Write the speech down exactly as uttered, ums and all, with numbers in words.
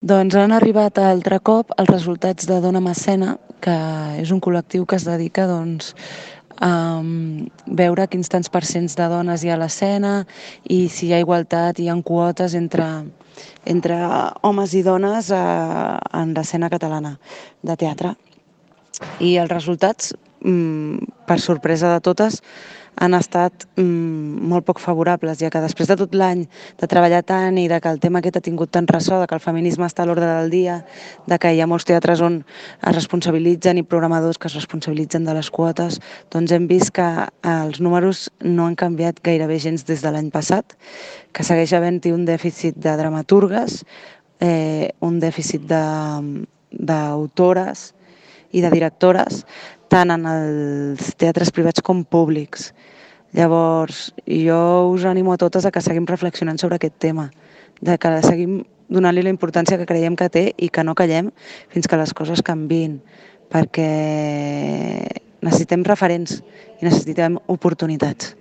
Doncs han arribat altre cop els resultats de Dona Macena, que és un col·lectiu que es dedica doncs, a veure quins tants percents de dones hi ha a l'escena i si hi ha igualtat, hi ha quotes entre, entre homes i dones a, en l'escena catalana de teatre. I els resultats, per sorpresa de totes, han estat molt poc favorables, ja que després de tot l'any de treballar tant i de que el tema aquest ha tingut tant ressò, de que el feminisme està a l'ordre del dia, de que hi ha molts teatres on es responsabilitzen i programadors que es responsabilitzen de les quotes, doncs hem vist que els números no han canviat gairebé gens des de l'any passat, que segueix havent-hi un dèficit de dramaturgues, eh, un dèficit d'autores i de directores, tant en els teatres privats com públics. Llavors, jo us animo a totes a que seguim reflexionant sobre aquest tema, de que seguim donant-li la importància que creiem que té i que no callem fins que les coses canviïn, perquè necessitem referents i necessitem oportunitats.